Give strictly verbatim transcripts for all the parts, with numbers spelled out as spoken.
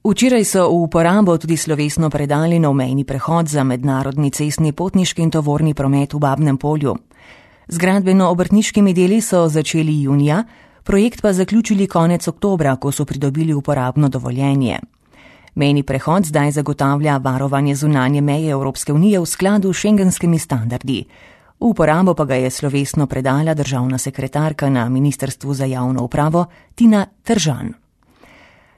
Včeraj so v uporabo tudi slovesno predali nov mejni prehod za mednarodni cestni potniški in tovorni promet v Babnem Polju. Z gradbeno-obrtniškimi deli so začeli junija, projekt pa zaključili konec oktobra, ko so pridobili uporabno dovoljenje. Mejni prehod zdaj zagotavlja varovanje zunanje meje Evropske unije v skladu s šengenskimi standardi. V uporabo pa ga je slovesno predala državna sekretarka na Ministrstvu za javno upravo Tina Tržan.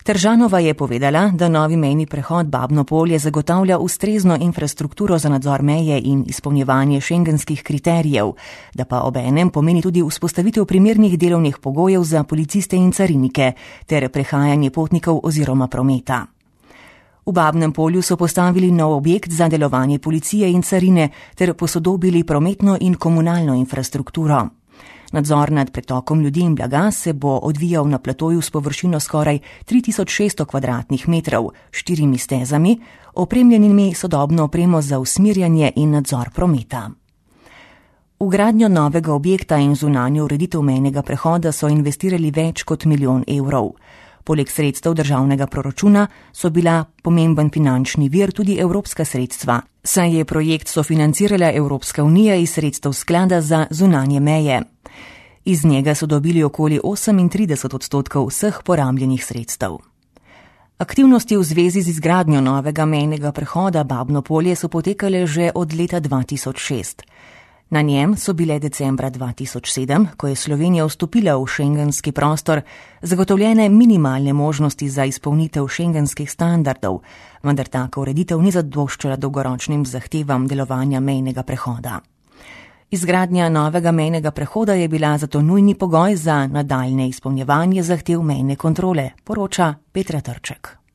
Tržanova je povedala, da novi mejni prehod Babno Polje zagotavlja ustrezno infrastrukturo za nadzor meje in izpolnjevanje šengenskih kriterijev, da pa obenem pomeni tudi vzpostavitev primernih delovnih pogojev za policiste in carinike ter prehajanje potnikov oziroma prometa. V Babnem Polju so postavili nov objekt za delovanje policije in carine ter posodobili prometno in komunalno infrastrukturo. Nadzor nad pretokom ljudi in blaga se bo odvijal na platoju s površino skoraj tri tisoč šeststo kvadratnih metrov, štirimi stezami, opremljenimi sodobno opremo za usmerjanje in nadzor prometa. V gradnjo novega objekta in zunanjo ureditev mejnega prehoda so investirali več kot milijon evrov. Poleg sredstev državnega proračuna so bila pomemben finančni vir tudi evropska sredstva, saj je projekt sofinancirala Evropska unija iz sredstev sklada za zunanje meje. Iz njega so dobili okoli osemintrideset odstotkov vseh porabljenih sredstev. Aktivnosti v zvezi z izgradnjo novega mejnega prehoda Babno Polje so potekale že od leta dva tisoč šest. Na njem so bile decembra dva tisoč sedem, ko je Slovenija vstopila v šengenski prostor, zagotovljene minimalne možnosti za izpolnitev šengenskih standardov, vendar taka ureditev ni zadoščala dolgoročnim zahtevam delovanja mejnega prehoda. Izgradnja novega mejnega prehoda je bila zato nujni pogoj za nadaljne izpolnjevanje zahtev mejne kontrole, poroča Petra Trček.